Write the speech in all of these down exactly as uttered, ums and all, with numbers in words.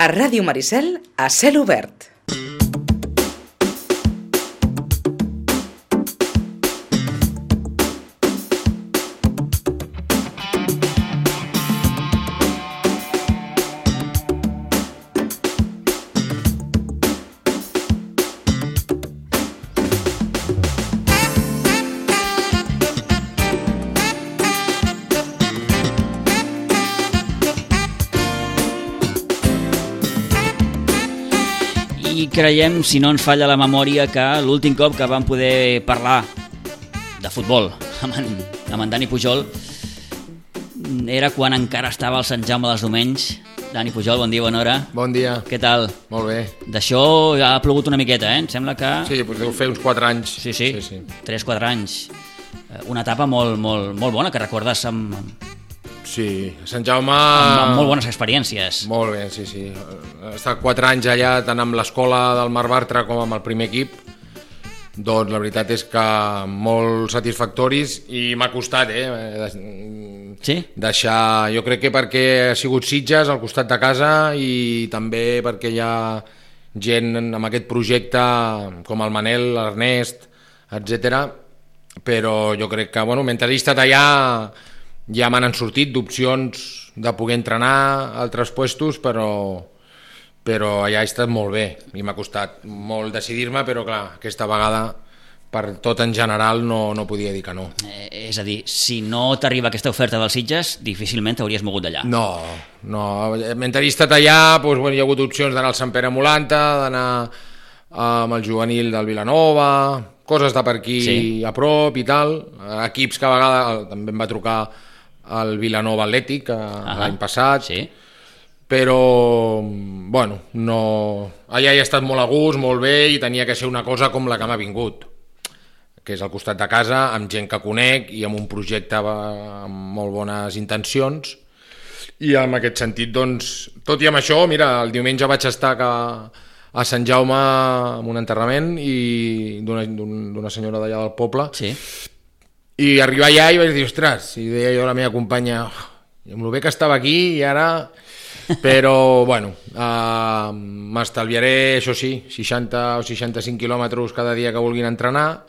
A Ràdio Maricel, a cel obert. I creiem, si no ens falla la memòria, que l'últim cop que vam poder parlar de futbol amb en, amb en Dani Pujol era quan encara estava al Sant Jaume dels Domenys. Dani Pujol, bon dia, bona hora. Bon dia. Què tal? Molt bé. D'això ja ha plogut una miqueta, eh? Em sembla que... Sí, doncs deu fer uns quatre anys. Sí, sí, sí, sí. tres quatre anys. Una etapa molt, molt, molt bona, que recordes amb, Sí, a Sant Jaume... amb, amb molt bones experiències. Molt bé, sí, sí. He estat quatre anys allà, tant amb l'escola del Mar Bartra com amb el primer equip. Doncs la veritat és que molt satisfactoris i m'ha costat, eh? Sí? Deixar... Jo crec que perquè ha sigut Sitges al costat de casa i també perquè hi ha gent amb aquest projecte com el Manel, l'Ernest, etcètera. Però jo crec que, bueno, mentre he estat allà ja me n'han sortit d'opcions de poder entrenar a altres puestos, però, però allà he estat molt bé i m'ha costat molt decidir-me, però clar, aquesta vegada per tot en general no, no podia dir que no. Eh, és a dir, si no t'arriba aquesta oferta dels Sitges, difícilment t'hauries mogut d'allà. No, no. Mentre he estat allà doncs, bueno, hi ha hagut opcions d'anar al Sant Pere Molanta, d'anar amb el juvenil del Vilanova, coses de per aquí sí. A prop i tal, equips que a vegades també em va trucar el Vilanova Atlètic l'any passat, sí. Però bueno, no... allà he estat molt a gust, molt bé, i tenia que ser una cosa com la que m'ha vingut, que és al costat de casa, amb gent que conec i amb un projecte amb molt bones intencions, i en aquest sentit, doncs, tot i amb això, mira, el diumenge vaig estar a, a Sant Jaume amb un enterrament i d'una, d'una senyora d'allà del poble, sí. I arribar allà i vaig dir, ostres, i deia jo a la meva companya, oh, amb el bé que estava aquí i ara... Però, bueno, uh, m'estalviaré, això sí, seixanta o seixanta-cinc quilòmetres cada dia que vulguin entrenar,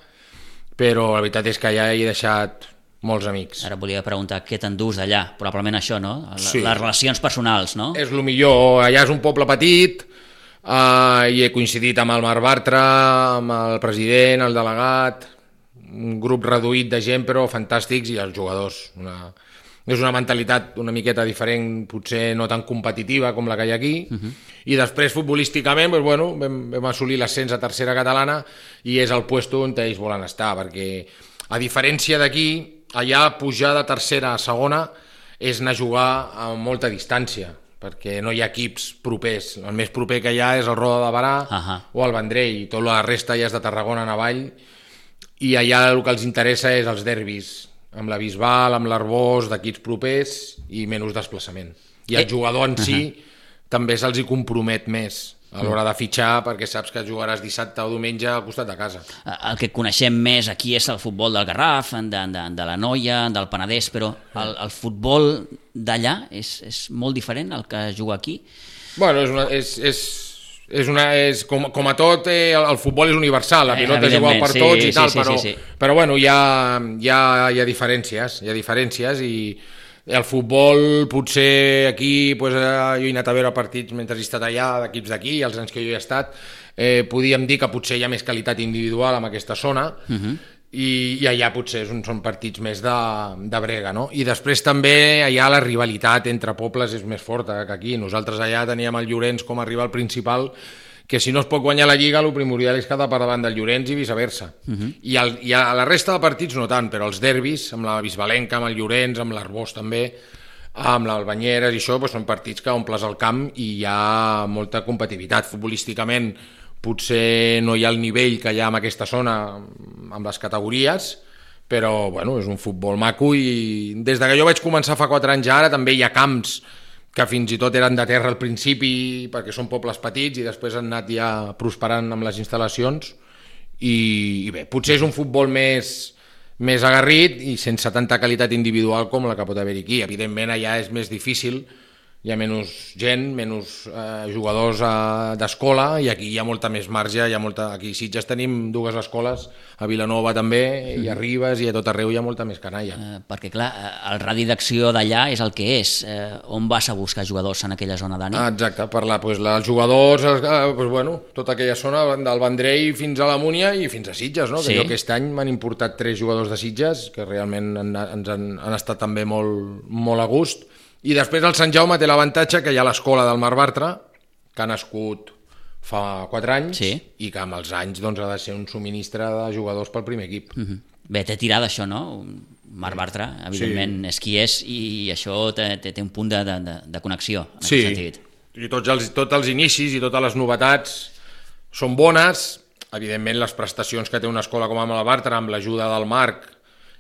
però la veritat és que ja he deixat molts amics. Ara volia preguntar què t'endús d'allà, probablement això, no? La, sí. Les relacions personals, no? És el millor, allà és un poble petit, uh, i he coincidit amb el Mar Bartra, amb el president, el delegat, un grup reduït de gent, però fantàstics, i els jugadors. Una... És una mentalitat una miqueta diferent, potser no tan competitiva com la que hi ha aquí, uh-huh. I després futbolísticament doncs, bueno, vam, vam assolir l'ascens a tercera catalana i és el puesto on ells volen estar, perquè a diferència d'aquí, allà pujar de tercera a segona és anar a jugar a molta distància, perquè no hi ha equips propers. El més proper que hi ha és el Roda de Barà uh-huh. o el Vendrell, i tota la resta ja és de Tarragona en avall, i allà el que els interessa és els derbis, amb la Bisbal, amb l'Arbós, d'equips propers i menys desplaçament. I el jugador en si uh-huh. també se'ls hi compromet més a l'hora de fitxar, perquè saps que jugaràs dissabte o diumenge al costat de casa. El que coneixem més aquí és el futbol del Garraf, de, de, de la Noia, del Penedès, però el, el futbol d'allà és, és molt diferent al que es juga aquí? Bueno, és una... És, és... És una, és, com, com a tot, eh, el, el futbol és universal, la pilota és igual per sí, tots i tal, sí, sí, però, sí, sí. però bueno, hi ha, hi, ha, hi ha diferències, hi ha diferències i el futbol potser aquí, pues, jo he anat a veure partits mentre he estat allà, d'equips d'aquí, els anys que jo hi he estat, eh, podíem dir que potser hi ha més qualitat individual en aquesta zona, uh-huh. i, i allà potser són, són partits més de, de brega, no? I després també allà la rivalitat entre pobles és més forta que aquí. Nosaltres allà teníem el Llorenç com a rival principal, que si no es pot guanyar la Lliga, el primordial és quedar per davant del Llorenç i viceversa. Uh-huh. I, el, I a la resta de partits no tant, però els derbis, amb la Bisbalenca, amb el Llorenç, amb l'Arbós també, amb l'Albanyeres i això, doncs són partits que omples el camp i hi ha molta competitivitat. Futbolísticament potser no hi ha el nivell que hi ha en aquesta zona amb les categories, però bueno, és un futbol maco i des de que jo vaig començar fa quatre anys ara també hi ha camps que fins i tot eren de terra al principi perquè són pobles petits i després han anat ja prosperant amb les instal·lacions i, i bé, potser és un futbol més, més agarrit i sense tanta qualitat individual com la que pot haver aquí. Evidentment allà és més difícil hi ha menys gent, menys eh, jugadors eh, d'escola, i aquí hi ha molta més marge, hi ha molta... Aquí a Sitges tenim dues escoles, a Vilanova també, i a Ribes, i a tot arreu hi ha molta més canalla. Eh, perquè, clar, el radi d'acció d'allà és el que és. Eh, on vas a buscar jugadors en aquella zona, Dani? Ah, exacte, per la, pues, la, els jugadors, els, eh, pues, bueno, tota aquella zona del Vendrell fins a la Múnia i fins a Sitges, no? Sí. Que jo aquest any m'han importat tres jugadors de Sitges, que realment han, ens han, han estat també molt, molt a gust. I després el Sant Jaume té l'avantatge que hi ha l'escola del Marc Bartra, que ha nascut fa quatre anys, sí. I que amb els anys doncs, ha de ser un subministre de jugadors pel primer equip. Uh-huh. Bé, té tirada això, no? Marc Bartra, evidentment, sí. És qui és, i això té, té, té un punt de, de, de connexió, en sí. aquest sentit. I tots els, tots els inicis i totes les novetats són bones. Evidentment, les prestacions que té una escola com amb la Bartra, amb l'ajuda del Marc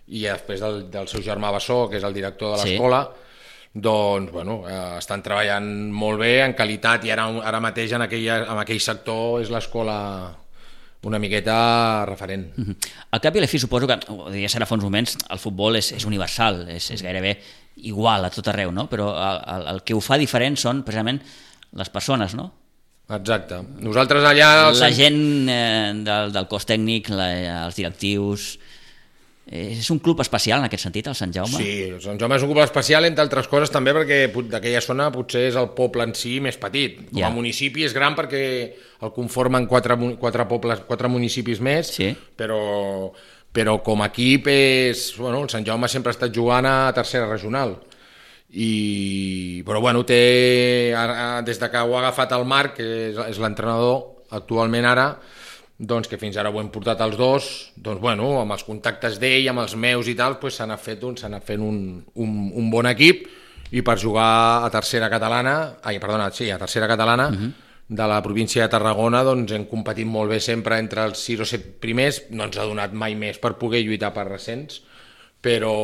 i després del, del seu germà Bassó, que és el director de l'escola, sí. Doncs, bueno, eh, estan treballant molt bé, en qualitat, i ara, ara mateix en, aquella, en aquell sector és l'escola una miqueta referent. Uh-huh. Al cap i a la fi, suposo que, ho deia ara fa uns moments, el futbol és, és universal, és, és gairebé igual a tot arreu, no? Però el, el, el que ho fa diferent són precisament les persones, no? Exacte. Nosaltres allà... La gent eh, del, del cos tècnic, la, els directius... És un club especial en aquest sentit, el Sant Jaume? Sí, el Sant Jaume és un club especial, entre altres coses també perquè d'aquella zona potser és el poble en si més petit. Com a yeah. municipi és gran perquè el conformen quatre, quatre pobles, quatre municipis més, sí. però, però com a equip és... Bueno, el Sant Jaume sempre ha estat jugant a tercera regional. I, però bueno, té, des de que ho ha agafat el Marc, que és, és l'entrenador actualment ara, doncs que fins ara ho hem portat els dos, doncs bueno, amb els contactes d'ell, amb els meus i tal, doncs s'ha anat fent, un, s'ha anat fent un, un, un bon equip, i per jugar a tercera catalana, ai, perdona, sí, a tercera catalana, uh-huh. de la província de Tarragona, doncs hem competit molt bé sempre entre els sis o set primers, no ens ha donat mai més per poder lluitar per recents, però,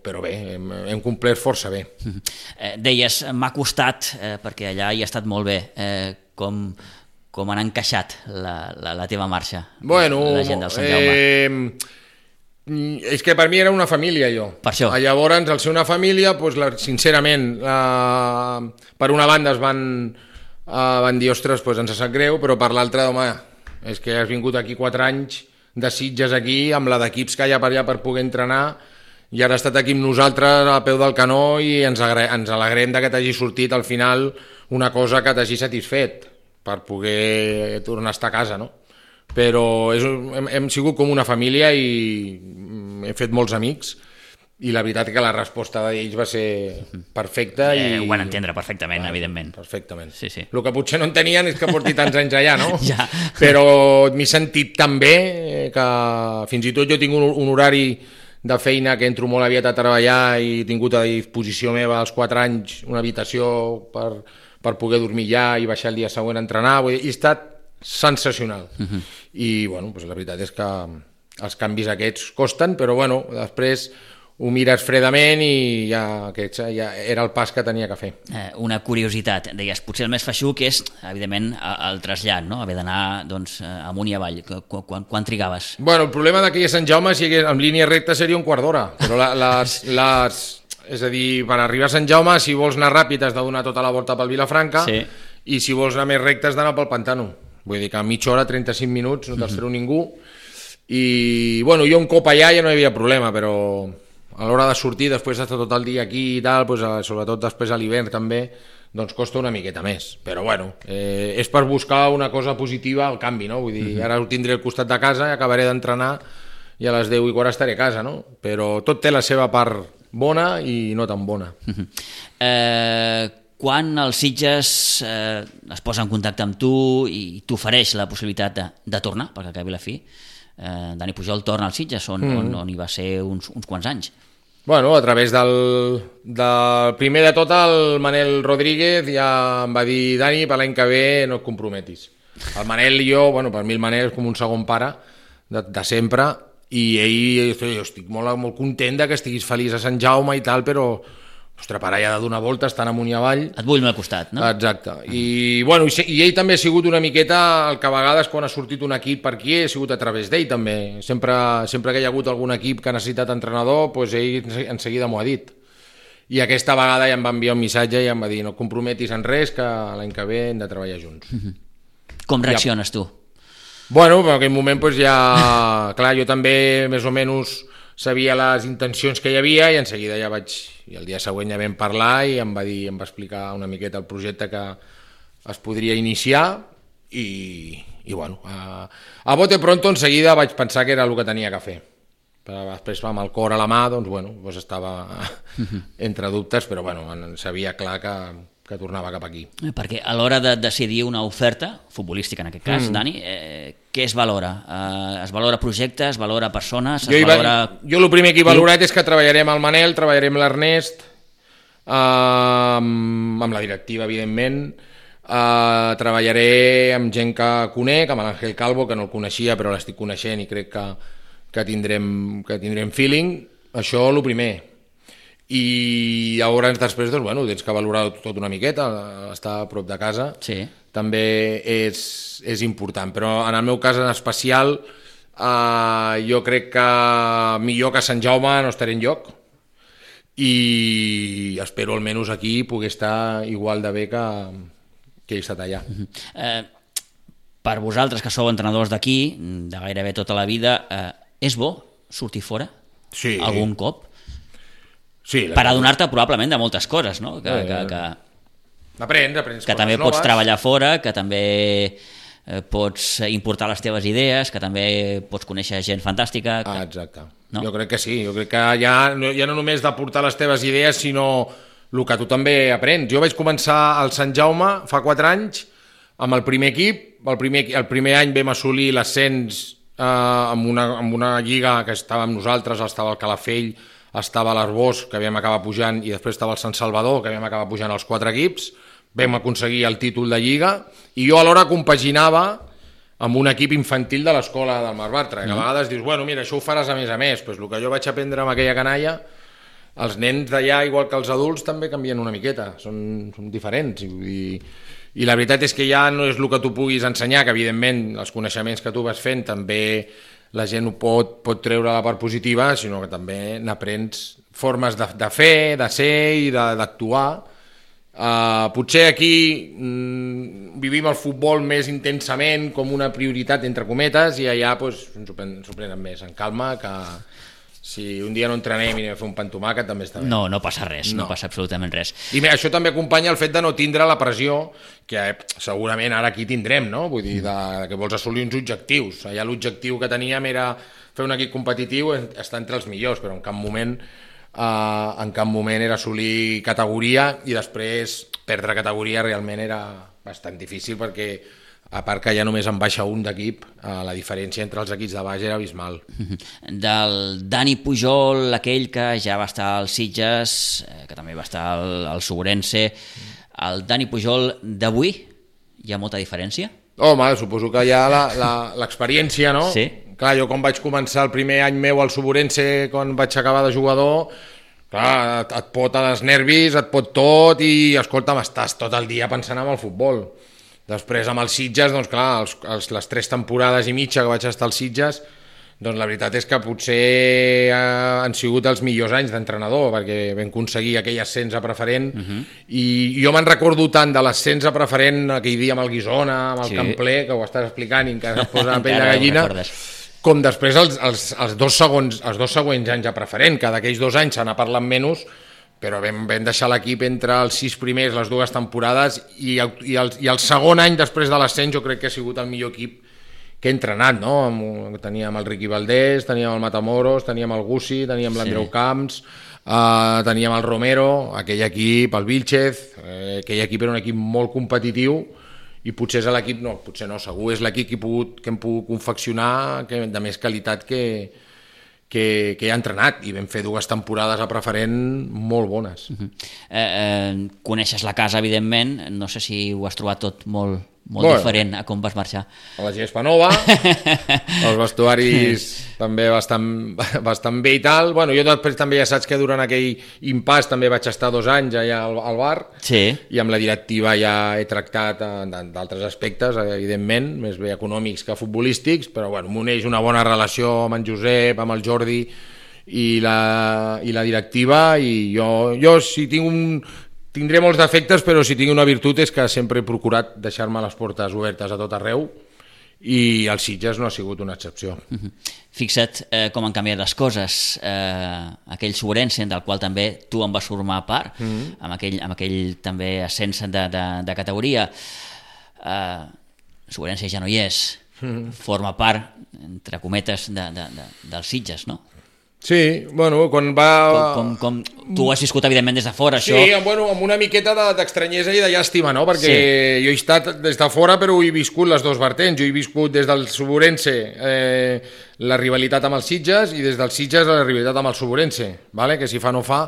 però bé, hem, hem complert força bé. Uh-huh. Eh, deies, m'ha costat, eh, perquè allà hi ha estat molt bé, eh, com... com han encaixat la, la, la teva marxa, bueno, la gent del Sant Jaume? Eh, és que per mi era una família, jo. Per això. Llavors, al ser una família, doncs, la, sincerament, eh, per una banda es van, eh, van dir, ostres, doncs ens sap greu, però per l'altra, home, és que has vingut aquí quatre anys de Sitges aquí, amb la d'equips que hi ha per allà per poder entrenar, i ara has estat aquí amb nosaltres a peu del canó i ens, agra- ens alegrem de que t'hagi sortit al final una cosa que t'hagi satisfet, per poder tornar a estar a casa, no? Però és, hem, hem sigut com una família i he fet molts amics, i la veritat que la resposta d'ells va ser perfecta. Eh, i... Ho van entendre perfectament, ah, evidentment. Perfectament. Sí, sí. El que potser no entenien és que porti tants anys allà, no? Ja. Però m'he sentit tan bé que fins i tot jo tinc un, un horari de feina que entro molt aviat a treballar i he tingut a disposició meva als quatre anys una habitació per... per poder dormir ja i baixar el dia següent a entrenar, vull dir, i ha estat sensacional. Uh-huh. I, bueno, doncs la veritat és que els canvis aquests costen, però, bueno, després ho mires fredament i ja, aquest, ja era el pas que tenia que fer. Eh, una curiositat, deies, potser el més feixuc és, evidentment, el trasllat, no? Haver d'anar, doncs, amunt i avall. Quan, quan, quan trigaves? Bueno, el problema d'aquí a Sant Jaume, si hagués, en línia recta, seria un quart d'hora, però la, les... les és a dir, per arribar a Sant Jaume, si vols anar ràpid has de donar tota la volta pel Vilafranca, sí. I si vols anar més recte has d'anar pel Pantano. Vull dir que a mitja hora, trenta-cinc minuts, no t'espero mm-hmm. ningú. I, bueno, jo un cop allà ja no hi havia problema, però a l'hora de sortir, després d'estar tot el dia aquí i tal, doncs, sobretot després a l'hivern també, doncs costa una miqueta més. Però, bueno, eh, és per buscar una cosa positiva al canvi, no? Vull dir, mm-hmm. ara ho tindré al costat de casa i acabaré d'entrenar i a les deu i quart estaré a casa, no? Però tot té la seva part bona i no tan bona. Uh-huh. Eh, quan el Sitges eh, es posa en contacte amb tu i t'ofereix la possibilitat de, de tornar, perquè acabi la fi, eh, Dani Pujol torna al Sitges, on, mm. on, on hi va ser uns, uns quants anys. Bueno, a través del, del primer de tot, el Manel Rodríguez ja em va dir, Dani, per l'any que ve no et comprometis. El Manel i jo, bueno, per mi el Manel és com un segon pare de, de sempre, i ell, jo estic molt, molt content de que estiguis feliç a Sant Jaume i tal, però ostres, per allà de donar voltes tan amunt i avall. Et vull al costat, no? Exacte. I, bueno, i, i ell també ha sigut una miqueta el que a vegades quan ha sortit un equip per aquí ha sigut a través d'ell també. Sempre, sempre que hi ha hagut algun equip que ha necessitat entrenador, doncs ell en seguida m'ho ha dit. i aquesta vegada ja em va enviar un missatge i em va dir no et comprometis en res, que l'any que ve hem de treballar junts. Com reacciones tu? Bueno, en aquell moment pues, ja... Clar, jo també més o menys sabia les intencions que hi havia i en seguida ja vaig... I el dia següent ja vam parlar i em va dir, em va explicar una miqueta el projecte que es podria iniciar i, i bueno, a, a bote pronto en seguida vaig pensar que era el que tenia que fer. Però després amb el cor a la mà, doncs bueno, doncs estava entre dubtes, però bueno, sabia clar que... que tornava cap aquí. Perquè a l'hora de decidir una oferta, futbolística en aquest cas, mm. Dani, eh, què es valora? Eh, es valora projecte, es valora persones, es jo valora... Va, jo el primer que he valorat és que treballarem al Manel, treballarem l'Ernest, eh, amb, amb la directiva, evidentment, eh, treballaré amb gent que conec, amb l'Àngel Calvo, que no el coneixia, però l'estic coneixent i crec que, que, tindrem, que tindrem feeling. Això el primer. I llavors després doncs, bueno, tens que valorar tot una miqueta, estar a prop de casa sí. També és, és important, però en el meu cas en especial eh, jo crec que millor que a Sant Jaume no estaré enlloc i espero almenys aquí poder estar igual de bé que, que he estat allà. Uh-huh. eh, per vosaltres que sou entrenadors d'aquí de gairebé tota la vida, eh, és bo sortir fora? Sí. Algun cop? Sí, per adonar-te probablement de moltes coses, no? Que, que, que, aprens, aprens que també noves. Pots treballar fora, que també eh, pots importar les teves idees, que també pots conèixer gent fantàstica. Que... Ah, exacte. No? Jo crec que sí, jo crec que ja, ja no només d'aportar les teves idees, sinó el que tu també aprens. Jo vaig començar al Sant Jaume fa quatre anys amb el primer equip, el primer, el primer any vam assolir l'ascens eh, amb, una, amb una lliga que estava amb nosaltres, estava el Calafell, estava l'Arbós, que vam acabar pujant, i després estava el Sant Salvador, que vam acabar pujant els quatre equips, vam aconseguir el títol de Lliga, i jo alhora compaginava amb un equip infantil de l'escola del Mar Bartra, que a vegades dius, bueno, mira, això ho faràs a més a més, però el que jo vaig aprendre amb aquella canalla, els nens d'allà, igual que els adults, també canvien una miqueta, són, són diferents, i, i la veritat és que ja no és el que tu puguis ensenyar, que evidentment els coneixements que tu vas fent també la gent ho pot, pot treure la part positiva, sinó que també n'aprens formes de, de fer, de ser i d'actuar. Uh, potser aquí mm, vivim el futbol més intensament com una prioritat, entre cometes, i allà pues, ens ho prenen més en calma, que si un dia no entrenem i anem a fer un pa amb tomàquet també està bé. No, no passa res, no, no passa absolutament res. I bé, això també acompanya el fet de no tindre la pressió que eh, segurament ara aquí tindrem, no? Vull dir, de, de que vols assolir uns objectius. Allà l'objectiu que teníem era fer un equip competitiu, estar entre els millors, però en cap moment, eh, en cap moment era assolir categoria, i després perdre categoria realment era bastant difícil, perquè a part que ja només en baixa un d'equip, la diferència entre els equips de baix era abismal. Del Dani Pujol, aquell que ja va estar als Sitges, que també va estar al, al Sobrense, el Dani Pujol d'avui, hi ha molta diferència? Home, suposo que hi ha l'experiència, no? Sí. Clar, jo quan vaig començar el primer any meu al Sobrense, quan vaig acabar de jugador, clar, et, et pot als nervis, et pot tot, i escolta'm, estàs tot el dia pensant en el futbol. Després amb els Sitges, doncs clar, els, els, les tres temporades i mitja que vaig estar als Sitges, doncs la veritat és que potser eh, han sigut els millors anys d'entrenador, perquè vam aconseguir aquell ascens a preferent, uh-huh. i jo me'n recordo tant de l'ascens a preferent aquell dia amb el Guisona, amb el sí. Campler, que ho estàs explicant i encara es posa la pell de gallina, com després els, els, els, dos segons, els dos següents anys a preferent, que d'aquells dos anys se n'ha parlat menys, però vam, vam deixar l'equip entre els sis primers, les dues temporades, i el, i, el, i el segon any després de l'ascens jo crec que ha sigut el millor equip que he entrenat, no? Teníem el Riqui Valdés, teníem el Matamoros, teníem el Gussi, teníem l'Andreu sí. Camps, uh, teníem el Romero, aquell equip, el Vilchez, eh, aquell equip era un equip molt competitiu, i potser és l'equip, no, potser no, segur és l'equip que, he pogut, que hem pogut confeccionar que, de més qualitat que, que, que he entrenat, i vam fer dues temporades a preferent molt bones. Uh-huh. eh, eh, coneixes la casa, evidentment, no sé si ho has trobat tot molt, molt bueno, diferent a com vas marxar. A la gespa nova, els vestuaris també bastant, bastant bé i tal. Bueno, jo després també ja saps que durant aquell impàs també vaig estar dos anys allà al, al bar, sí. i amb la directiva ja he tractat d'altres aspectes, evidentment, més bé econòmics que futbolístics, però bueno, m'uneix una bona relació amb en Josep, amb el Jordi, i la, i la directiva, i jo, jo si tinc un... tindré molts defectes, però si tinc una virtut és que sempre he procurat deixar-me les portes obertes a tot arreu, i el Sitges no ha sigut una excepció. Uh-huh. Fixa't eh, com han canviat les coses. Eh, aquell Sobrense, del qual també tu en vas formar part, uh-huh. amb, aquell, amb aquell també ascens de, de, de categoria. Eh, Sobrense ja no hi és, uh-huh. forma part, entre cometes, de, de, de, dels Sitges, no? Sí, bueno, quan va... Com, com, com tu ho has viscut, evidentment, des de fora, sí, això... Sí, bueno, amb una miqueta d'estranyesa i de llàstima, no? Perquè sí. Jo he estat des de fora, però he viscut les dues vertents. Jo he viscut des del Sobrense eh, la rivalitat amb els Sitges, i des dels Sitges la rivalitat amb el Sobrense, vale? Que si fa no fa...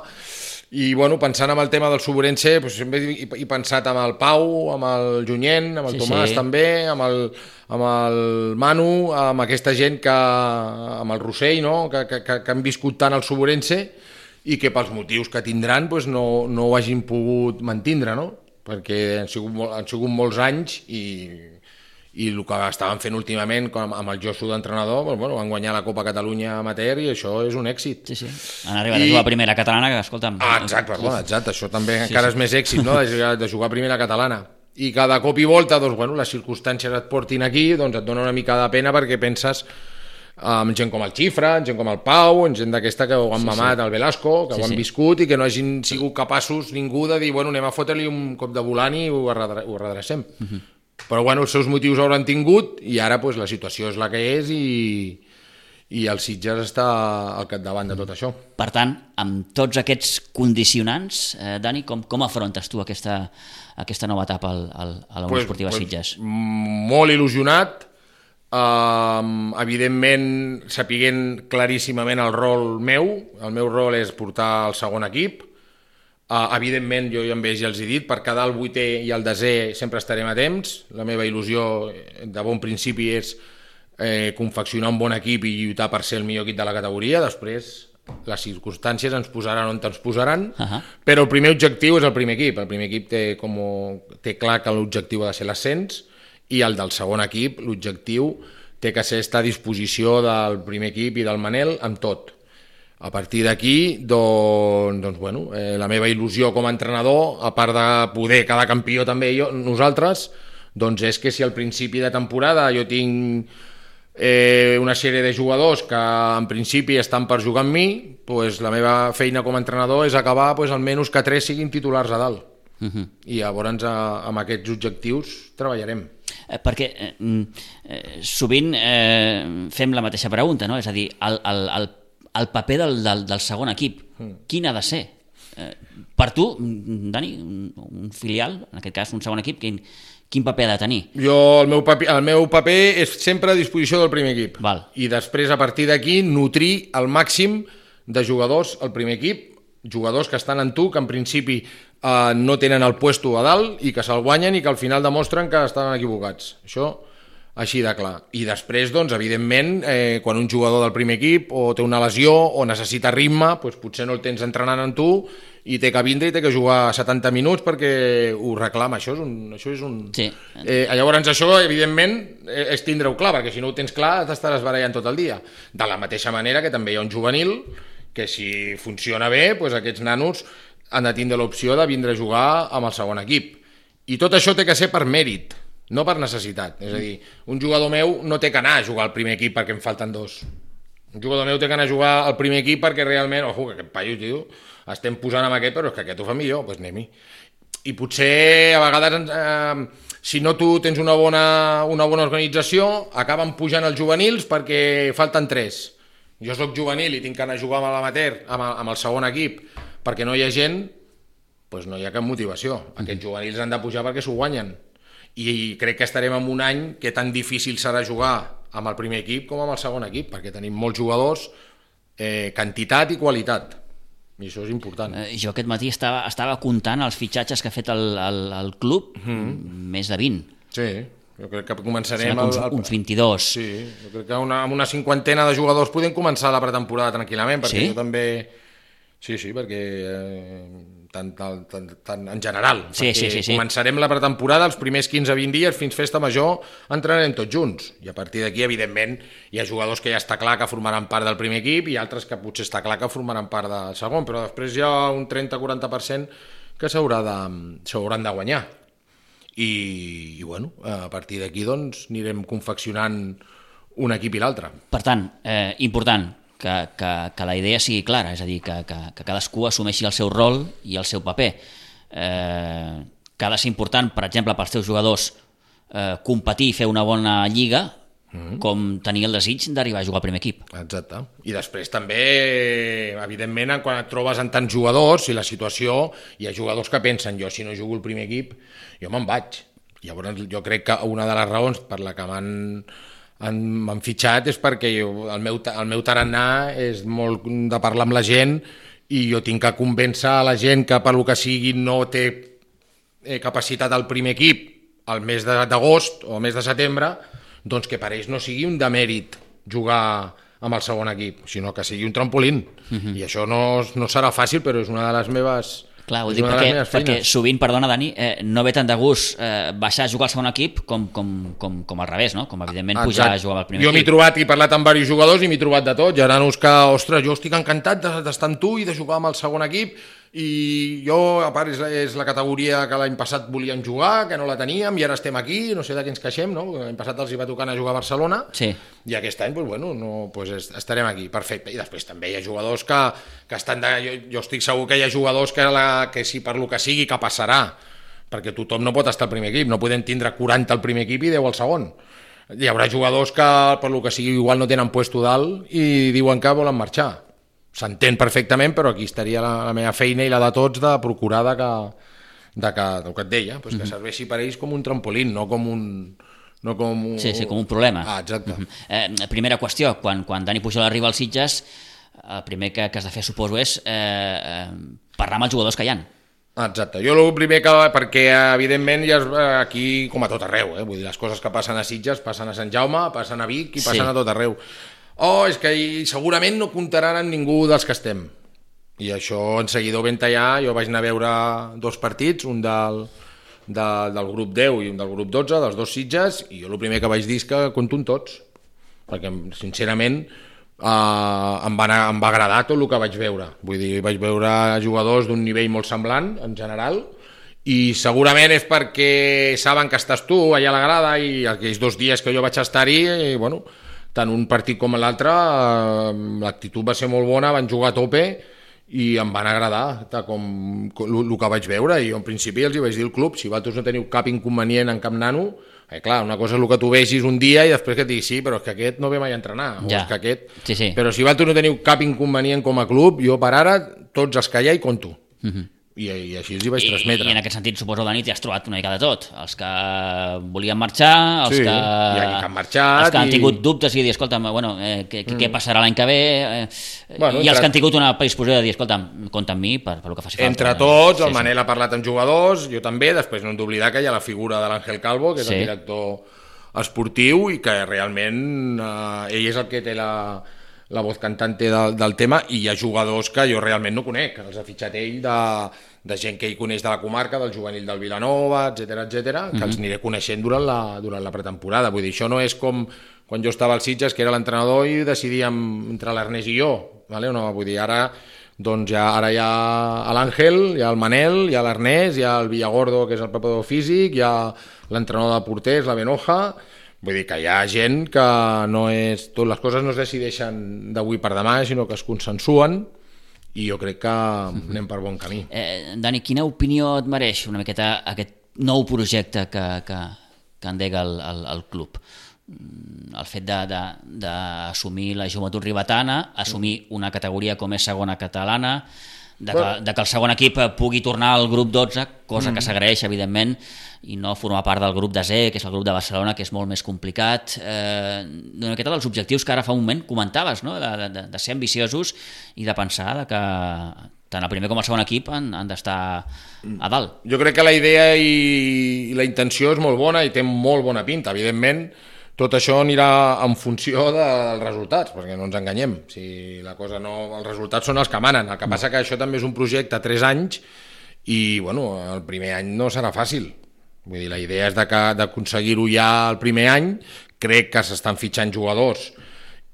I, bueno, pensant en el tema del Sobrense, pues, sempre he pensat amb el Pau, amb el Junyent, amb el sí, Tomàs sí. també, amb el, amb el Manu, amb aquesta gent que... amb el Rossell, no? que, que, que han viscut tant el Sobrense i que pels motius que tindran pues, no, no ho hagin pogut mantindre, no? Perquè han sigut, han sigut molts anys i... i el que estaven fent últimament com amb el Josu d'entrenador, doncs, bueno, van guanyar la Copa Catalunya Amateur i això és un èxit. Sí, sí. Han arribat I... a jugar a primera catalana, que escolta'm... Ah, exacte, perdó, exacte, això també sí, encara sí. és més èxit, no?, de jugar a primera catalana. I cada cop i volta, doncs, bueno, les circumstàncies et portin aquí, doncs et dona una mica de pena perquè penses amb gent com el Xifra, gent com el Pau, gent d'aquesta que ho han sí, mamat, sí. el Velasco, que sí, ho han sí. viscut i que no hagin sigut capaços ningú de dir, bueno, anem a fotre-li un cop de volant i ho redrecem. Uh-huh. Però bueno, els seus motius hauran tingut i ara pues, la situació és la que és i, i el Sitges està al capdavant de tot això. Per tant, amb tots aquests condicionants, eh, Dani, com, com afrontes tu aquesta, aquesta nova etapa al, al, a la Unió pues, Esportiva pues, Sitges? Molt il·lusionat, um, evidentment sapiguent claríssimament el rol meu. El meu rol és portar el segon equip. Uh, evidentment, jo amb ells ja els he dit, per quedar el vuitè i el desè sempre estarem a temps. La meva il·lusió de bon principi és eh, confeccionar un bon equip i lluitar per ser el millor equip de la categoria. Després, les circumstàncies ens posaran on ens posaran, uh-huh. però el primer objectiu és el primer equip. El primer equip té, com, té clar que l'objectiu ha de ser l'ascens, i el del segon equip, l'objectiu té que ser estar a disposició del primer equip i del Manel amb tot. A partir d'aquí, doncs, doncs, bueno, eh, la meva il·lusió com a entrenador, a part de poder quedar campió també jo, nosaltres, doncs és que si al principi de temporada jo tinc eh, una sèrie de jugadors que en principi estan per jugar amb mi, doncs la meva feina com a entrenador és acabar doncs, almenys que tres siguin titulars a dalt. Uh-huh. I llavors amb aquests objectius treballarem. Eh, perquè eh, eh, sovint eh, fem la mateixa pregunta, no? És a dir, el, el, el el paper del, del, del segon equip, quin ha de ser? Eh, per tu, Dani, un, un filial, en aquest cas un segon equip, quin, quin paper ha de tenir? Jo, el meu paper, el meu paper és sempre a disposició del primer equip. Val. I després, a partir d'aquí, nutrir al màxim de jugadors al primer equip, jugadors que estan en tu, que en principi eh, no tenen el puesto a dalt i que se'l guanyen i que al final demostren que estan equivocats. Això així de clar. I després, doncs, evidentment, eh, quan un jugador del primer equip o té una lesió o necessita ritme, doncs potser no el tens entrenant en tu i té que vindre i té que jugar setanta minuts perquè ho reclama. Això és un... Això és un... Sí. Eh, llavors, això, evidentment, és tindre-ho clar, perquè si no ho tens clar t'estaràs barallant tot el dia. De la mateixa manera que també hi ha un juvenil que si funciona bé, doncs aquests nanos han de tindre l'opció de vindre a jugar amb el segon equip. I tot això té que ser per mèrit, no per necessitat. És a dir, un jugador meu no té que anar a jugar al primer equip perquè em falten dos. Un jugador meu té que anar a jugar al primer equip perquè realment, ojo, que aquest paio, tio, estem posant amb aquest, però és que aquest ho fa millor, doncs anem-hi. I potser a vegades, eh, si no tu tens una bona, una bona organització, acaben pujant els juvenils perquè falten tres. Jo soc juvenil i tinc que anar a jugar amb l'amateur, amb, amb el segon equip, perquè no hi ha gent, doncs no hi ha cap motivació. Aquests juvenils han de pujar perquè s'ho guanyen. I crec que estarem en un any que tan difícil serà jugar amb el primer equip com amb el segon equip, perquè tenim molts jugadors, eh, quantitat i qualitat, i això és important. Eh, jo aquest matí estava, estava comptant els fitxatges que ha fet el, el, el club, mm-hmm. més de vint. Sí, jo crec que començarem... Uns, el, el... uns vint-i-dos. Sí, jo crec que una, amb una cinquantena de jugadors podem començar la pretemporada tranquil·lament, perquè sí? jo també... Sí, sí, perquè... Eh... tant, tant, tant, tant en general, sí, perquè sí, sí, sí. començarem la pretemporada els primers quinze a vint dies fins festa major, entrenarem tots junts i a partir d'aquí evidentment hi ha jugadors que ja està clar que formaran part del primer equip i altres que potser està clar que formaran part del segon, però després hi ha un trenta a quaranta per cent que s'haurà de, s'hauran de guanyar i, i bueno, a partir d'aquí doncs anirem confeccionant un equip i l'altre. Per tant, eh, important Que, que, que la idea sigui clara, és a dir, que, que, que cadascú assumeixi el seu rol i el seu paper. Eh, que ha de ser important, per exemple, pels teus jugadors eh, competir i fer una bona lliga, mm-hmm. com tenir el desig d'arribar a jugar al primer equip. Exacte. I després també, evidentment, quan et trobes en tants jugadors, si la situació, hi ha jugadors que pensen, jo si no jugo el primer equip, jo me'n vaig. Llavors jo crec que una de les raons per la que m'han m'han fitxat és perquè jo, el, meu, el meu tarannà és molt de parlar amb la gent i jo tinc que convèncer a la gent que per lo que sigui no té eh, capacitat al primer equip al mes d'agost o al mes de setembre, doncs que per ells no sigui un demèrit jugar amb el segon equip, sinó que sigui un trampolín. Uh-huh. I això no, no serà fàcil, però és una de les meves... Clar, ho dic perquè, perquè sovint, perdona Dani, eh, no ve tant de gust eh, baixar a jugar al segon equip com, com, com, com al revés, no? Com evidentment Exacte. Pujar a jugar al primer jo equip. Jo m'he trobat i parlat amb diversos jugadors i m'he trobat de tot, gerant-nos que, ostres, jo estic encantat d'estar amb tu i de jugar amb el segon equip i jo, a part, és la, és la categoria que l'any passat volíem jugar, que no la teníem i ara estem aquí, no sé de què ens queixem, no? L'any passat els hi va tocar anar a jugar a Barcelona sí. I aquest any, pues, bueno, no, pues, estarem aquí, perfecte. I després també hi ha jugadors que, que estan de... Jo, jo estic segur que hi ha jugadors que, la, que si per lo que sigui que passarà, perquè tothom no pot estar al primer equip, no podem tindre quaranta al primer equip i deu al segon. Hi haurà jugadors que per lo que sigui igual no tenen puesto dalt i diuen que volen marxar. S'entén perfectament, però aquí estaria la, la meva feina i la de tots de procurar de que, de que, del que et deia, pues que mm-hmm. serveixi per ells com un trampolín, no com un... No com un... Sí, sí, com un problema. Ah, exacte. Mm-hmm. eh, primera qüestió, quan, quan Dani Pujol arriba als Sitges, el primer que, que has de fer, suposo, és eh, eh, parlar amb els jugadors que hi ha. Exacte. Jo el primer que... Perquè, evidentment, ja és, aquí, com a tot arreu, eh? Vull dir, les coses que passen a Sitges passen a Sant Jaume, passen a Vic i passen sí. A tot arreu. Oh, és que segurament no comptaran amb ningú dels que estem. I això en seguida ho vam tallar. Jo vaig anar a veure dos partits, un del, de, del grup deu i un del grup dotze, dels dos Sitges, i jo el primer que vaig dir és que compto amb tots. Perquè, sincerament, eh, em, va anar, em va agradar tot el que vaig veure. Vull dir, vaig veure jugadors d'un nivell molt semblant, en general, i segurament és perquè saben que estàs tu allà a la grada i aquells dos dies que jo vaig estar-hi, i, bueno... tant un partit com l'altre, eh, l'actitud va ser molt bona, van jugar a tope i em van agradar com, com el que vaig veure. I jo en principi els hi vaig dir al club, si vosaltres no teniu cap inconvenient en cap nano, eh, clar, una cosa és el que tu vegis un dia i després que et diguis sí, però és que aquest no ve mai a entrenar, ja. O és que aquest... sí, sí. Però si vosaltres no teniu cap inconvenient com a club, jo per ara tots els que hi ha hi conto. Uh-huh. I, i així els hi vaig transmetre. I en aquest sentit, suposo, Dani, t'hi has trobat una mica de tot. Els que volien marxar, els sí, que, que han marxat, els que han i... tingut dubtes i dir, escolta'm, bueno, eh, què, mm. què passarà l'any que ve? Eh, bueno, I els entre... que han tingut una predisposició de dir, escolta'm, compta amb mi per, per el que faci falta. Entre tots, sí, el Manel sí. Ha parlat amb jugadors, jo també, després no hem d'oblidar que hi ha la figura de l'Àngel Calvo, que és sí. El director esportiu, i que realment eh, ell és el que té la... la voz cantante del, del tema, i hi ha jugadors que jo realment no conec, els ha fitxat ell de, de gent que ell coneix de la comarca, del juvenil del Vilanova, etcètera, etcètera, que mm-hmm. els aniré coneixent durant la, durant la pretemporada. Vull dir, això no és com quan jo estava al Sitges, que era l'entrenador i decidíem entre l'Ernest i jo, vale? No, vull dir, ara, doncs ja, ara hi ha l'Àngel, hi ha el Manel, hi ha l'Ernest, hi ha el Villagordo, que és el preparador físic, hi ha l'entrenador de porters, la Benoja. Vull dir que hi ha gent que no és... Tot les coses no es decideixen d'avui per demà, sinó que es consensuen, i jo crec que anem per bon camí. Eh, Dani, quina opinió et mereix una miqueta aquest nou projecte que, que, que endega el, el, el club? El fet d'assumir la joventut ribetana, assumir una categoria com és segona catalana, de que, de que el segon equip pugui tornar al grup dotze, cosa mm. que s'agraeix, evidentment, i no formar part del grup desè, que és el grup de Barcelona, que és molt més complicat. Eh, una miqueta dels objectius que ara fa un moment comentaves, no? de, de, de ser ambiciosos i de pensar de que tant el primer com el segon equip han, han d'estar a dalt. Jo crec que la idea i, i la intenció és molt bona i té molt bona pinta. Evidentment, tot això anirà en funció dels resultats, perquè no ens enganyem. Si la cosa no, els resultats són els que manen. El que passa que això també és un projecte a tres anys i bueno, el primer any no serà fàcil. Vull dir, la idea és de que, d'aconseguir-ho ja el primer any. Crec que s'estan fitxant jugadors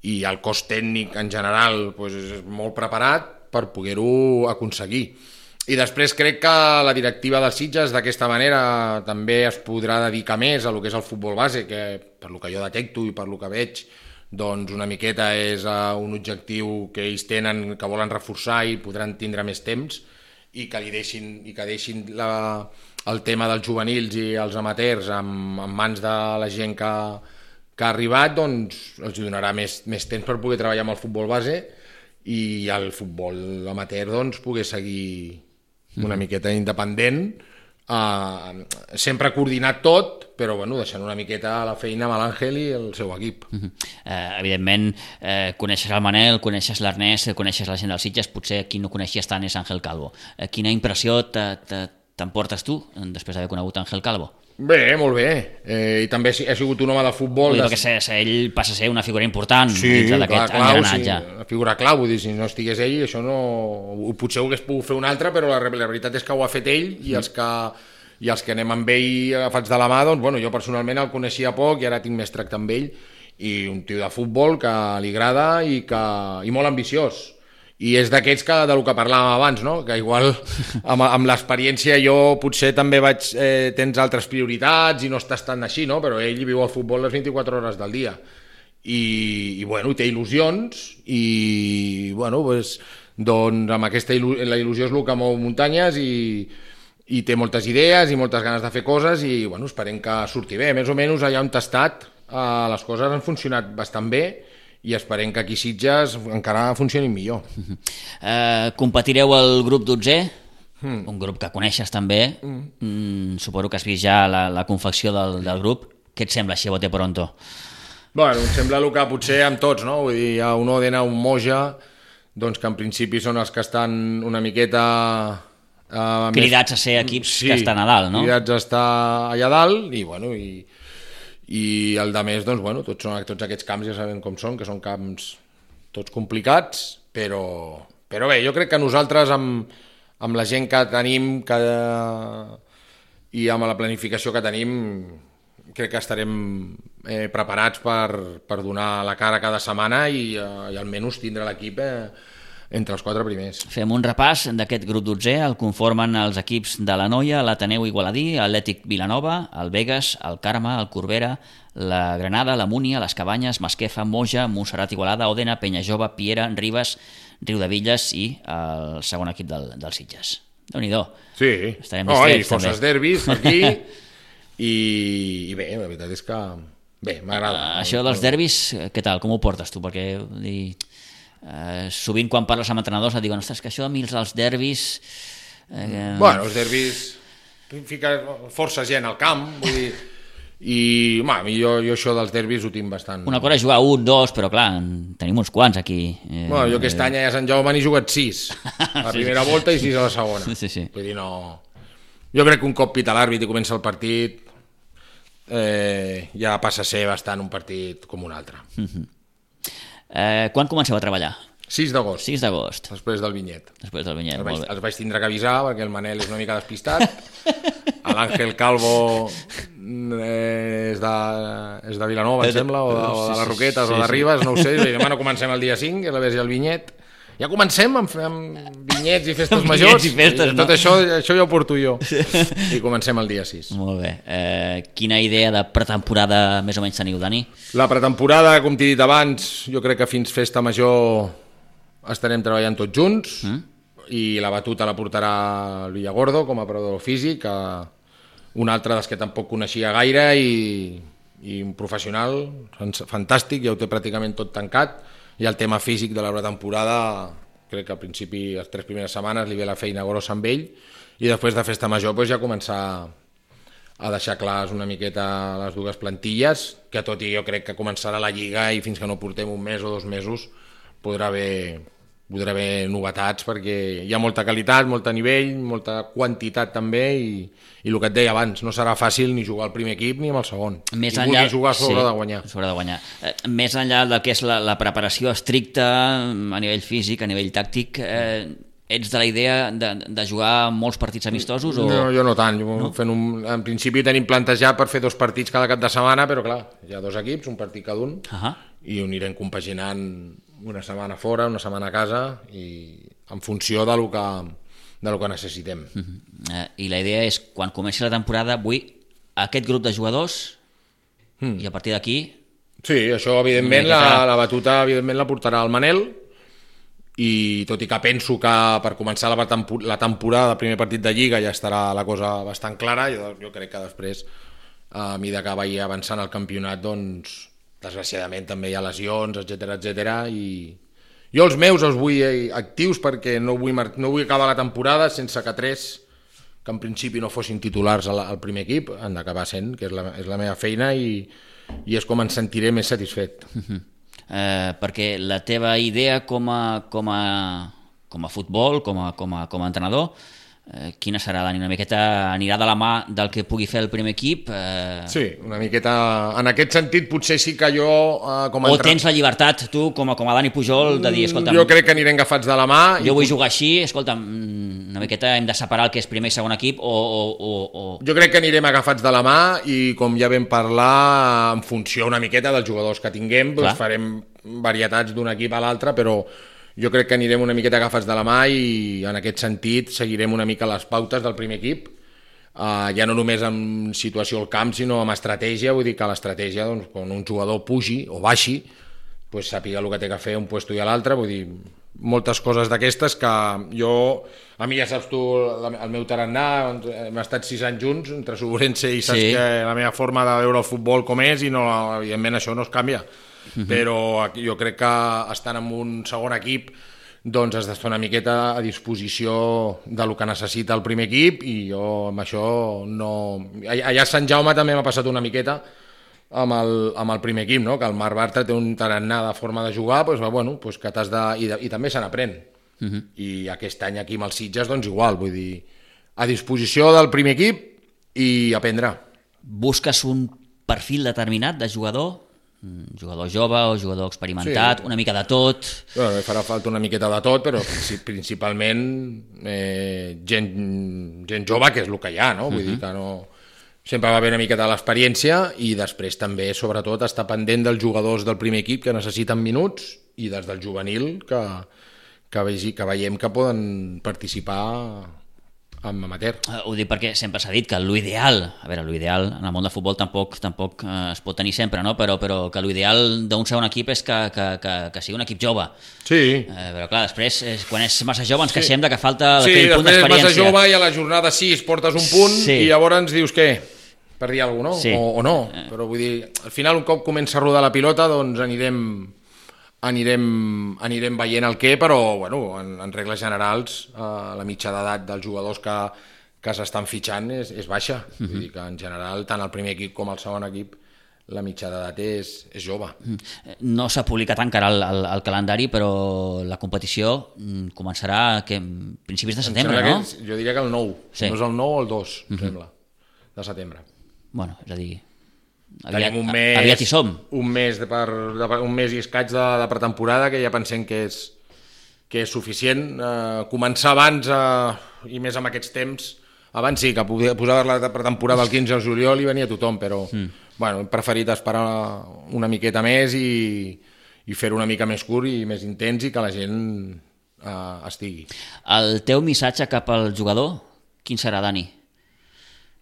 i el cos tècnic en general doncs, és molt preparat per poder-ho aconseguir. I després crec que la directiva dels Sitges d'aquesta manera també es podrà dedicar més a lo que és el futbol base, que per lo que jo detecto i per lo que veig, doncs una miqueta és un objectiu que ells tenen, que volen reforçar i podran tindre més temps, i que li deixin, i que deixin la, el tema dels juvenils i els amateurs en, en mans de la gent que, que ha arribat, doncs els donarà més, més temps per poder treballar amb el futbol base i el futbol amateur doncs poder seguir una miqueta independent, uh, sempre coordinat tot, però bueno, deixant una miqueta la feina amb l'Àngel i el seu equip. Uh-huh. uh, evidentment, uh, coneixes el Manel, coneixes l'Ernest, coneixes la gent dels Sitges, potser qui no coneixies tant és Ángel Calvo. Uh, quina impressió t'emportes tu després d'haver conegut Ángel Calvo? Bé, molt bé, eh, i també ha sigut un home de futbol. Vull dir, perquè des... ell passa a ser una figura important sí, dintre d'aquest engranatge. Sí, una figura clau, vull dir, si no estigués ell, això no... Potser ho hagués pogut fer un altre, però la, la veritat és que ho ha fet ell, i els que, i els que anem amb ell agafats de la mà, doncs, bueno, jo personalment el coneixia poc i ara tinc més tracte amb ell, i un tio de futbol que li agrada i, que, i molt ambiciós. I és d'aquests que, del que parlàvem abans, no? Que igual amb, amb l'experiència jo potser també vaig, eh, tens altres prioritats i no estàs tan així, no? Però ell viu el futbol les vint-i-quatre hores del dia i, i bueno, té il·lusions i bueno, pues, doncs amb aquesta il·lu la il·lusió és el que mou muntanyes i, i té moltes idees i moltes ganes de fer coses i bueno, esperem que surti bé. Més o menys allà on t'ha estat eh, les coses han funcionat bastant bé i esperem que aquí Sitges encara funcionin millor. Uh-huh. uh, competireu al grup dotzè, mm. un grup que coneixes també, mm. Mm, suposo que has vist ja la, la confecció del, del grup. Què et sembla així, bote pronto? Bueno, em sembla el que potser amb tots, no? Vull dir, hi ha un Òdena, un Moja, doncs que en principi són els que estan una miqueta... Uh, cridats més... a ser equips sí, que estan a dalt, no? Cridats a estar allà dalt i bueno... I... i el de més, doncs, bueno, tots, són, tots aquests camps ja sabem com són, que són camps tots complicats, però, però bé, jo crec que nosaltres amb, amb la gent que tenim que, i amb la planificació que tenim crec que estarem eh, preparats per, per donar la cara cada setmana i, eh, i almenys tindre l'equip eh, entre els quatre primers. Fem un repàs d'aquest grup dotzè, el conformen els equips de la Noia, l'Ateneu Igualadí, l'Atlètic Vilanova, el Begues, el Carme, el Corbera, la Granada, la Múnia, les Cabanyes, Masquefa, Moja, Montserrat Igualada, Òdena, Penyajove, Piera, Ribes, Riudevilles i el segon equip del, del Sitges. Déu-n'hi-do. Sí, estarem distrets, oh, i forces derbis aquí i, i bé, la veritat és que bé, m'agrada. Uh, això dels derbis, què tal? Com ho portes tu? Perquè dir, uh, sovint quan parles amb entrenadors et diuen, ostres, que això a mi els derbis... Eh... Bueno, els derbis fica força gent al camp, vull dir... i ma, jo, jo això dels derbis ho tinc bastant... Una cosa és jugar un, dos, però clar, tenim uns quants aquí. Eh, bueno, jo aquest eh... any a Sant Jaume n'he jugat sis, a la primera sí. volta i sis a la segona. Sí, sí. Vull dir, no... Jo crec que un cop pita l'àrbit i comença el partit eh, ja passa a ser bastant un partit com un altre. Uh-huh. eh, quan comenceu a treballar? sis d'agost. sis d'agost. Després del Vinyet. Després del Vinyet, els vaig, molt bé. Els vaig tindre que avisar perquè el Manel és una mica despistat. L'Àngel Calvo és de, és de Vilanova, em sembla, o de, o de les Roquetes, sí, sí, o de Ribes, no ho sé. I demà no comencem el dia cinc, que és la vés i el Vinyet. Ja comencem amb, amb vinyets i festes vinyets majors. I festes, i tot no? això, això ja ho porto jo. I comencem el dia sis. Molt bé. Eh, quina idea de pretemporada més o menys teniu, Dani? La pretemporada, com t'he dit abans, jo crec que fins festa major estarem treballant tots junts mm? i la batuta la portarà el Villagordo com a preparador físic, un altre dels que tampoc coneixia gaire i, i un professional fantàstic, ja ho té pràcticament tot tancat, i el tema físic de la pretemporada crec que al principi, les tres primeres setmanes li ve la feina grossa amb ell i després de festa major doncs, ja començar a deixar clars una miqueta les dues plantilles, que tot i jo crec que començarà la Lliga i fins que no portem un mes o dos mesos podrà haver, podrà haver novetats perquè hi ha molta qualitat, molt nivell, molta quantitat també i, i el que et deia abans, no serà fàcil ni jugar al primer equip ni amb el segon. Més I enllà, vulgui jugar sobre sí, de guanyar. Sobre de guanyar. Eh, més enllà del que és la, la preparació estricta a nivell físic, a nivell tàctic, eh, ets de la idea de, de jugar molts partits amistosos? O... No, jo no tant. No? Fent un... En principi tenim plantejat per fer dos partits cada cap de setmana, però clar, hi ha dos equips, un partit cada un, uh-huh. i ho anirem compaginant una setmana fora, una setmana a casa, i en funció de lo que, de lo que necessitem. Uh-huh. Uh, I la idea és, quan comenci la temporada, vull aquest grup de jugadors, mm. i a partir d'aquí... Sí, això, evidentment, la, la batuta evidentment la portarà el Manel, i tot i que penso que per començar la, tempor la temporada, el primer partit de Lliga, ja estarà la cosa bastant clara, jo, jo crec que després, a mesura que vagi avançant el campionat, doncs, desgraciadament també hi ha lesions, etcètera, etcètera, i jo els meus els vull actius perquè no vull, no vull acabar la temporada sense que tres, que en principi no fossin titulars al, al primer equip, han d'acabar sent, que és la, és la meva feina, i, i és com em sentiré més satisfet. Uh-huh. eh, perquè la teva idea com a, com a, com a futbol, com a, com a, com a entrenador, eh, quina serà, Dani? Una miqueta anirà de la mà del que pugui fer el primer equip? Eh... Sí, una miqueta... En aquest sentit, potser sí que jo... Eh, com a o entren... tens la llibertat, tu, com a, com a Dani Pujol, de dir, escolta... Jo crec que anirem agafats de la mà... Jo i... vull jugar així, escolta, una miqueta hem de separar el que és primer i segon equip, o... o, o, o... Jo crec que anirem agafats de la mà i, com ja vam parlar, en funció una miqueta dels jugadors que tinguem, doncs farem varietats d'un equip a l'altre, però... Jo crec que anirem una miqueta agafats de la mà i en aquest sentit seguirem una mica les pautes del primer equip, uh, ja no només en situació al camp sinó amb estratègia, vull dir que l'estratègia, doncs, quan un jugador pugi o baixi, pues, sàpiga el que té que fer un puesto i a l'altre, vull dir, moltes coses d'aquestes que jo, a mi ja saps tu el meu tarannà, hem estat sis anys junts entre Sobrense i saps sí. que la meva forma de veure el futbol com és i no, evidentment això no es canvia. Uh-huh. Però jo crec que estant en un segon equip doncs has d'estar una miqueta a disposició de lo que necessita el primer equip i jo amb això no... Allà a Sant Jaume també m'ha passat una miqueta amb el, amb el primer equip, no? Que el Marc Bartra té un tarannà de forma de jugar, doncs, bueno, doncs que t'has de... I, de... I també se n'aprèn. Uh-huh. I aquest any aquí amb els Sitges doncs igual, vull dir, a disposició del primer equip i aprendre. Busques un perfil determinat de jugador? Un jugador jove o jugador experimentat, sí. Una mica de tot? Bueno, farà falta una miqueta de tot, però principalment eh, gent, gent jove, que és el que hi ha, no? Vull uh-huh. dir que no... Sempre va haver una miqueta de l'experiència i després també, sobretot, estar pendent dels jugadors del primer equip que necessiten minuts i des del juvenil que, que, vegi, que veiem que poden participar amb amateur. Uh, ho dic perquè sempre s'ha dit que l'ideal, a veure, l'ideal en el món del futbol tampoc tampoc uh, es pot tenir sempre, no? però, però que l'ideal d'un segon equip és que, que, que, que sigui un equip jove. Sí. Uh, però clar, després, és, quan és massa jove ens sí. queixem de que falta sí, aquell punt d'experiència. Sí, després és massa jove i a la jornada sis portes un punt sí. i llavors ens dius què? Per dir alguna cosa, no? Sí. O, o no. Uh. Però vull dir, al final un cop comença a rodar la pilota doncs anirem... Anirem, anirem veient el què, però bueno, en, en regles generals eh, la mitja d'edat dels jugadors que, que s'estan fitxant és, és baixa. Uh-huh. Vull dir que en general tant el primer equip com el segon equip la mitja d'edat és, és jove. No s'ha publicat encara el, el, el calendari, però la competició començarà a principis de setembre, no? Que, jo diria que el nou, sí. No és el nou o el dos, uh-huh. em sembla, de setembre. Bueno, és a dir... Aviat, un mes, aviat hi som. Un mes, de per, de, un mes i escaig de, de pretemporada que ja pensem que és, que és suficient. Eh, començar abans, eh, i més amb aquests temps, abans sí, que posar la pretemporada el quinze de juliol i venia tothom, però mm. bueno, hem preferit esperar una miqueta més i, i fer-ho una mica més curt i més intens i que la gent eh, estigui. El teu missatge cap al jugador, quin serà, Dani?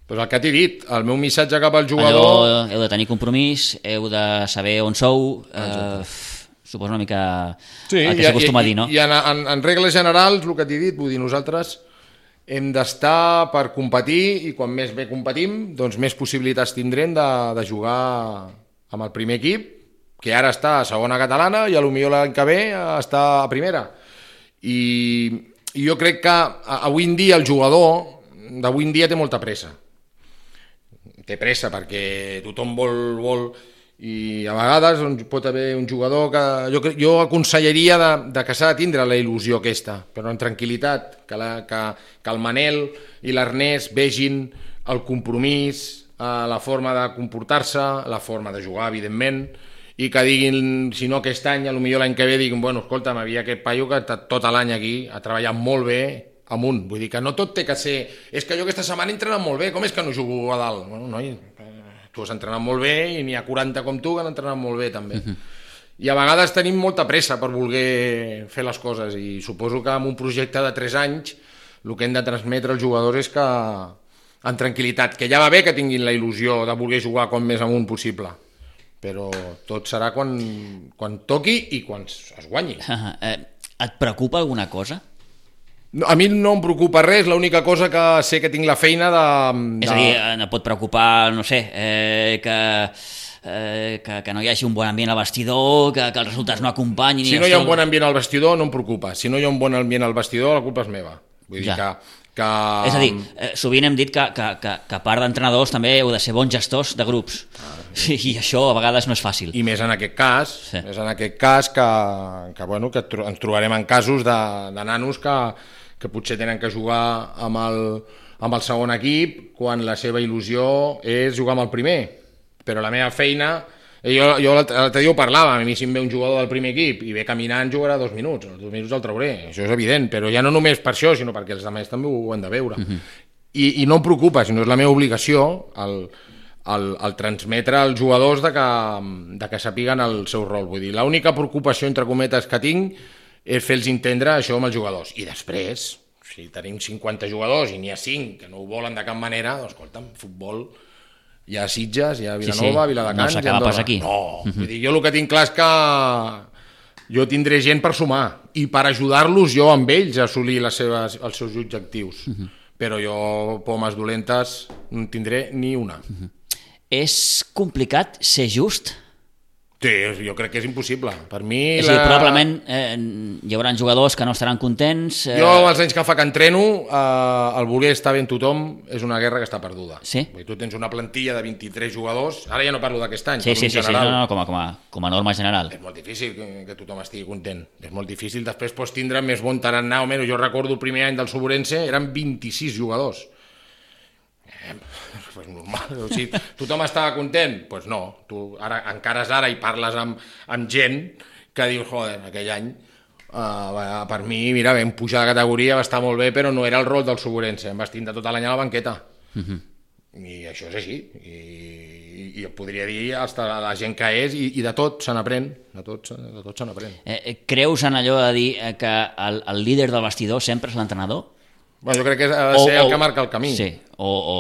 Pues el que t'he dit, el meu missatge cap al jugador... Allò, heu de tenir compromís, heu de saber on sou, eh, suposo una mica sí, el que s'acostuma a dir, no? I en, en, en regles generals, el que t'he dit, vull dir, nosaltres hem d'estar per competir i quan més bé competim, doncs més possibilitats tindrem de, de jugar amb el primer equip, que ara està a segona catalana i potser l'any que ve està a primera. I, i jo crec que avui en dia el jugador d'avui en dia té molta pressa. Té pressa perquè tothom vol, vol i a vegades doncs, pot haver un jugador que jo, jo aconsellaria de, de que s'ha de tindre la il·lusió aquesta, però en tranquil·litat, que, la, que, que el Manel i l'Ernest vegin el compromís, eh, la forma de comportar-se, la forma de jugar, evidentment, i que diguin, si no aquest any, potser l'any que ve diguin, bueno, escolta, m'havia aquest paio que ha estat tot l'any aquí, ha treballat molt bé amunt, vull dir que no tot té que ser, és que jo aquesta setmana he entrenat molt bé, com és que no jugo a dalt? Bueno, noi, tu has entrenat molt bé i n'hi ha quaranta com tu que han entrenat molt bé també. Uh-huh. I a vegades tenim molta pressa per voler fer les coses i suposo que amb un projecte de tres anys el que hem de transmetre als jugadors és que en tranquil·litat, que ja va bé que tinguin la il·lusió de voler jugar com més amunt possible, però tot serà quan, quan toqui i quan es guanyi. Uh, eh, et preocupa alguna cosa? No, a mi no em preocupa res, l'única cosa que sé que tinc la feina de... de... És a dir, no pot preocupar, no sé, eh, que, eh, que, que no hi hagi un bon ambient al vestidor, que, que els resultats no acompanyin... Si no hi ha un bon ambient al vestidor no em preocupa, si no hi ha un bon ambient al vestidor la culpa és meva. Vull dir ja. que... Que... És a dir, eh, sovint hem dit que, que, que, que a part d'entrenadors també heu de ser bons gestors de grups, ah, sí. I això a vegades no és fàcil. I més en aquest cas, sí. més en aquest cas que, que, bueno, que ens trobarem en casos de, de nanos que, que potser tenen que jugar amb el, amb el segon equip quan la seva il·lusió és jugar amb el primer, però la meva feina... Jo, jo l'altre dia ho parlava, a mi si em ve un jugador del primer equip i ve caminant jugarà dos minuts, els dos minuts el trauré, això és evident, però ja no només per això, sinó perquè els altres també ho han de veure. Uh-huh. I, I no em preocupa, sinó és la meva obligació el, el, el transmetre als jugadors de que, de que sapiguen el seu rol. Vull dir, l'única preocupació, entre cometes, que tinc és fer-los entendre això amb els jugadors. I després, si tenim cinquanta jugadors i n'hi ha cinc que no ho volen de cap manera, doncs escolta'm, futbol... Hi ha Sitges, hi ha Vilanova, sí, sí. Viladecans... No s'acaba pas aquí. No, uh-huh. vull dir, jo el que tinc clar és que jo tindré gent per sumar i per ajudar-los jo amb ells a assolir les seves, els seus objectius. Uh-huh. Però jo, pomes dolentes, no en tindré ni una. Uh-huh. És complicat ser just? Sí, jo crec que és impossible. Per mi... És a dir, la... probablement eh, hi haurà jugadors que no estaran contents... Eh... Jo, els anys que fa que entreno, eh, el voler estar bé amb tothom és una guerra que està perduda. Sí? Tu tens una plantilla de vint-i-tres jugadors, ara ja no parlo d'aquest any, sí, parlo sí, en sí, general. Sí, no, no, com a, com, a, com a norma general. És molt difícil que, que tothom estigui content. És molt difícil. Després pots tindre més bon tarannà o menys. Jo recordo el primer any del Soborense, eren vint-i-sis jugadors. Eh, pues normal, o sigui, tothom estava content? Doncs pues no, tu ara, encara és ara i parles amb, amb gent que diu, joder, aquell any uh, per mi, mira, vam pujar de categoria, va estar molt bé, però no era el rol del Soborense, em vas tindre tot l'any a la banqueta. Uh-huh. I això és així, i, i et podria dir hasta la gent que és, i, i de tot se n'aprèn, de tot, de tot se n'aprèn. Eh, creus en allò de dir que el, el líder del vestidor sempre és l'entrenador? Bueno, jo crec que ha de ser o, el que marca el camí. Sí, o, o,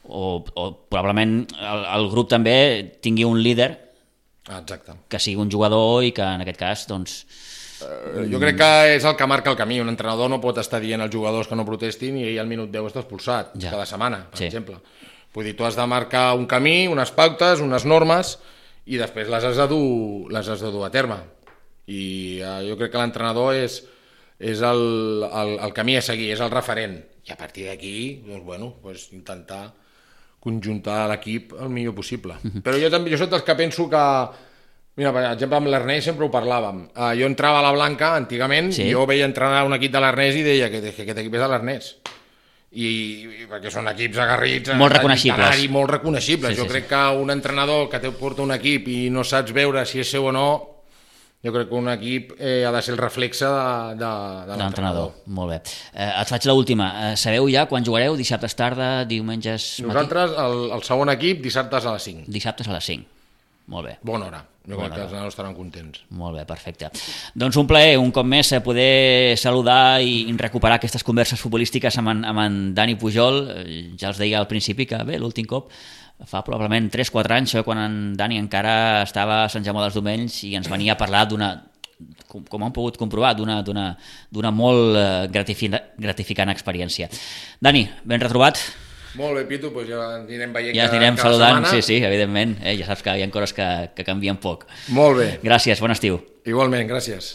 o, o probablement el, el grup també tingui un líder. Exacte. Que sigui un jugador i que en aquest cas, doncs... Uh, jo crec que és el que marca el camí. Un entrenador no pot estar dient als jugadors que no protestin i ell al minut deu està expulsat, ja. Cada setmana, per sí. exemple. Vull dir, tu has de marcar un camí, unes pautes, unes normes, i després les has de dur, les has de dur a terme. I uh, jo crec que l'entrenador és... és el, el, el camí a seguir, és el referent. I a partir d'aquí, doncs, bueno, doncs intentar conjuntar l'equip el millor possible. Uh-huh. Però jo també jo soc dels que penso que... Mira, per exemple, amb l'Ernest sempre ho parlàvem. Uh, jo entrava a la Blanca, antigament, sí. i jo veia entrenar un equip de l'Ernest i deia que, que aquest equip és de l'Ernest. I, i perquè són equips agarrits... Molt reconeixibles. Molt reconeixibles. Sí, jo sí, crec sí. que un entrenador que te porta un equip i no saps veure si és seu o no... Jo crec que un equip eh, ha de ser el reflexe de, de, de l'entrenador. Molt bé. Eh, et faig l'última. Eh, sabeu ja quan jugareu? Dissabtes tarda, diumenges matí? Nosaltres, el, el segon equip, dissabtes a les cinc. Dissabtes a les cinc. Molt bé. Bona hora. Jo Bona crec que hora. els nanos estaran contents. Molt bé, perfecte. Doncs un plaer, un cop més, poder saludar i recuperar aquestes converses futbolístiques amb en, amb en Dani Pujol. Ja els deia al principi que, bé, l'últim cop fa probablement tres o quatre anys, quan en Dani encara estava a Sant Jaume dels Domenys i ens venia a parlar d'una, com, com han pogut comprovar, d'una, d'una, d'una molt gratificant experiència. Dani, ben retrobat. Molt bé, Pitu, doncs ja ens anirem veient ja ens anirem cada, cada saludant, setmana. Sí, sí, evidentment. Eh, ja saps que hi ha coses que, que canvien poc. Molt bé. Gràcies, bon estiu. Igualment, gràcies.